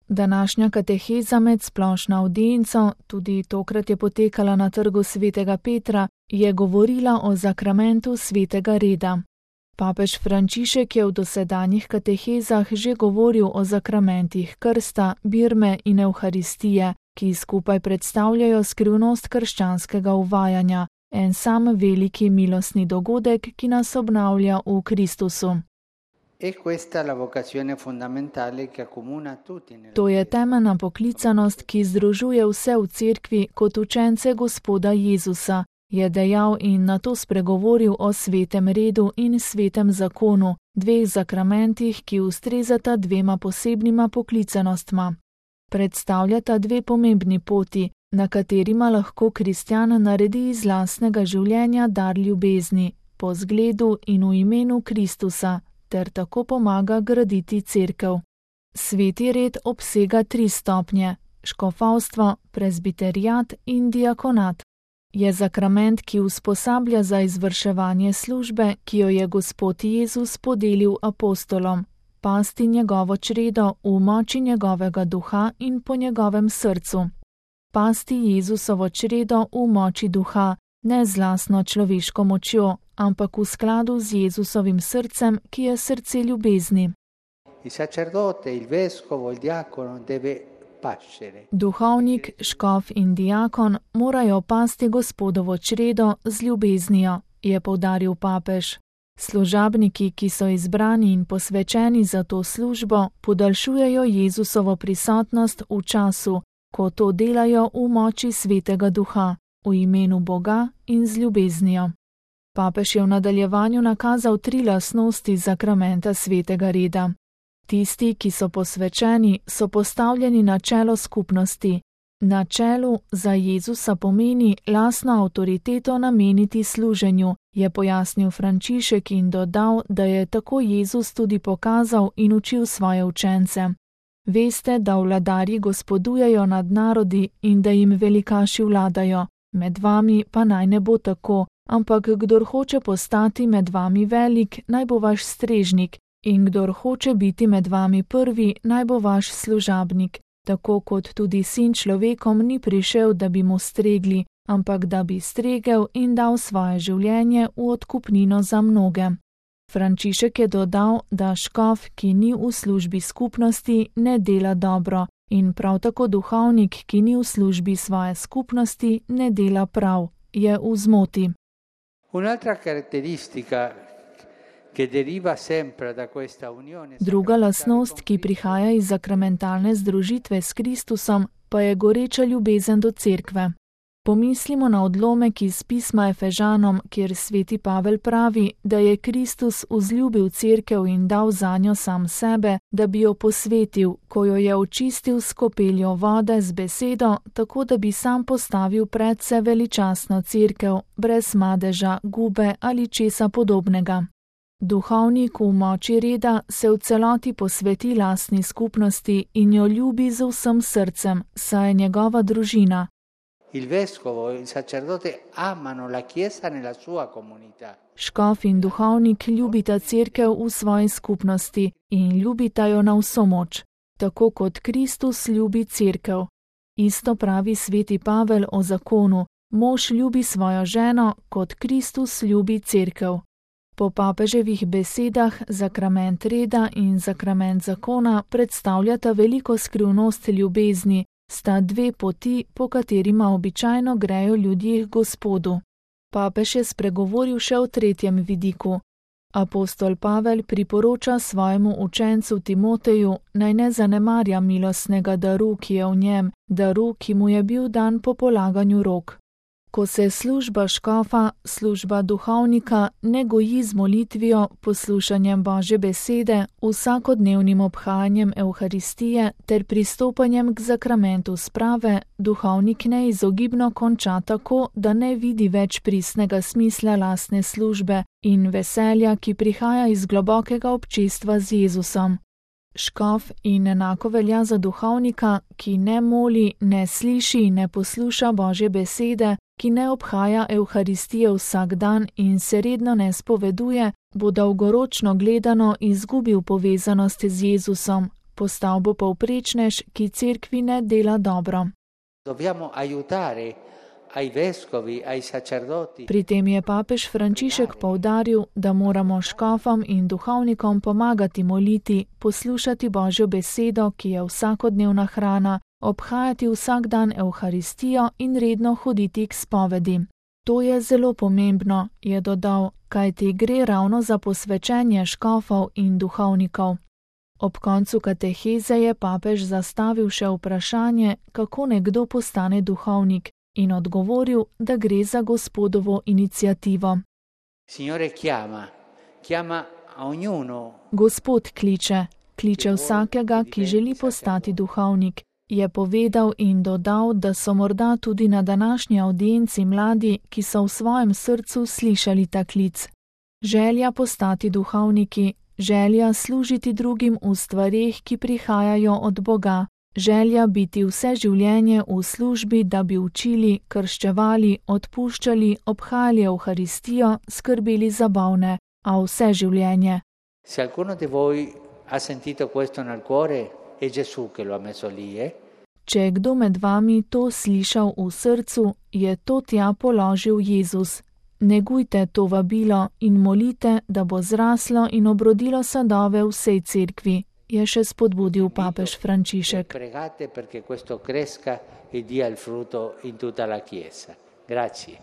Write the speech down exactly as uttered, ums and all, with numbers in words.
Današnja kateheza med splošno avdienco, tudi tokrat je potekala na trgu svetega Petra, je govorila o zakramentu svetega reda. Papež Frančišek je v dosedanjih katehezah že govoril o zakramentih krsta, birme in evharistije, ki skupaj predstavljajo skrivnost krščanskega uvajanja, en sam veliki milostni dogodek, ki nas obnavlja v Kristusu. To je temeljna poklicanost, ki združuje vse v cerkvi kot učence Gospoda Jezusa, je dejal in nato spregovoril o svetem redu in svetem zakonu, dveh zakramentih, ki ustrezata dvema posebnima poklicanostma. Predstavljata dve pomembni poti, na katerima lahko kristjan naredi iz lastnega življenja dar ljubezni, po zgledu in v imenu Kristusa, ter tako pomaga graditi cerkev. Sveti red obsega tri stopnje: škofovstvo, prezbiteriat in diakonat. Je zakrament, ki usposablja za izvrševanje službe, ki jo je Gospod Jezus podelil apostolom, pasti njegovo čredo v moči njegovega duha in po njegovem srcu. Pasti Jezusovo čredo v moči duha, ne z lastno človeško močjo, ampak v skladu z Jezusovim srcem, ki je srce ljubezni. Duhovnik, škof in diakon morajo pasti Gospodovo čredo z ljubeznijo, je poudaril papež. Služabniki, ki so izbrani in posvečeni za to službo, podaljšujejo Jezusovo prisotnost v času, ko to delajo v moči svetega duha, v imenu Boga in z ljubeznijo. Papež je v nadaljevanju nakazal tri lastnosti zakramenta svetega reda. Tisti, ki so posvečeni, so postavljeni na čelo skupnosti. Na čelu za Jezusa pomeni lastno avtoriteto nameniti služenju, je pojasnil Frančišek in dodal, da je tako Jezus tudi pokazal in učil svoje učence. Veste, da vladarji gospodujejo nad narodi in da jim velikaši vladajo, med vami pa naj ne bo tako, ampak kdor hoče postati med vami velik, naj bo vaš strežnik, in kdor hoče biti med vami prvi, naj bo vaš služabnik, tako kot tudi sin človekom ni prišel, da bi mu stregli, ampak da bi stregel in dal svoje življenje v odkupnino za mnoge. Frančišek je dodal, da škof, ki ni v službi skupnosti, ne dela dobro, in prav tako duhovnik, ki ni v službi svoje skupnosti, ne dela prav, je v zmoti. Un'altra caratteristica che deriva sempre da questa unione. Druga lastnost, ki prihaja iz zakramentalne združitve s Kristusom, pa je goreča ljubezen do cerkve. Pomislimo na odlomek iz pisma Efežanom, kjer sveti Pavel pravi, da je Kristus vzljubil cerkev in dal zanjo sam sebe, da bi jo posvetil, ko jo je očistil s kopeljo vode z besedo, tako da bi sam postavil predse veličastno cerkev, brez madeža, gube ali česa podobnega. Duhovnik v moči reda se v celoti posveti lastni skupnosti in jo ljubi z vsem srcem, saj je njegova družina. Il vescovo e il sacerdote amano la Chiesa nella sua comunità. Škof in duhovnik ljubita cerkev v svoji skupnosti in ljubita jo na vso moč, tako kot Kristus ljubi cerkev. Isto pravi sveti Pavel o zakonu: mož ljubi svojo ženo, kot Kristus ljubi cerkev. Po papeževih besedah zakrament reda in zakrament zakona predstavljata veliko skrivnost ljubezni, sta dve poti, po katerima običajno grejo ljudje k Gospodu. Papež je spregovoril še o tretjem vidiku. Apostol Pavel priporoča svojemu učencu Timoteju, naj ne zanemarja milostnega daru, ki je v njem, daru, ki mu je bil dan po polaganju rok. Ko se služba škofa, služba duhovnika ne goji z molitvijo, poslušanjem Božje besede, vsakodnevnim obhajanjem Evharistije ter pristopanjem k zakramentu sprave, duhovnik neizogibno konča tako, da ne vidi več pristnega smisla lastne službe in veselja, ki prihaja iz globokega občestva z Jezusom. Škof in enako velja za duhovnika, ki ne moli, ne sliši in ne posluša Božje besede, ki ne obhaja Evharistije vsak dan in se redno ne spoveduje, bo dolgoročno gledano izgubil povezanost z Jezusom, Postal bo povprečnež, ki cerkvi ne dela dobro. Dobbiamo aiutare ai vescovi, ai sacerdoti. Pri tem je papež Frančišek poudaril, da moramo škofom in duhovnikom pomagati moliti, poslušati Božjo besedo, ki je vsakodnevna hrana, obhajati vsak dan Evharistijo in redno hoditi k spovedi. To je zelo pomembno, je dodal, kajti gre ravno za posvečenje škofov in duhovnikov. Ob koncu kateheze je papež zastavil še vprašanje, kako nekdo postane duhovnik, in odgovoril, da gre za Gospodovo iniciativo. Signore chiama, chiama a ognuno. Gospod kliče, kliče vsakega, ki želi postati duhovnik, je povedal in dodal, da so morda tudi na današnji avdienci mladi, ki so v svojem srcu slišali ta klic. Želja postati duhovniki, želja služiti drugim v stvareh, ki prihajajo od Boga, želja biti vse življenje v službi, da bi učili, krščevali, odpuščali, obhajali Evharistijo, skrbeli za bolne, a vse življenje. Se alcuno di voi ha sentito questo nel cuore, è Gesù che lo ha messo lì, eh? Če je kdo med vami to slišal v srcu, je to tja položil Jezus. Negujte to vabilo in molite, da bo zraslo in obrodilo sadove vsej cerkvi, je še spodbudil papež Frančišek. Pregate perché questo cresca e dia il frutto in tutta la Chiesa. Grazie.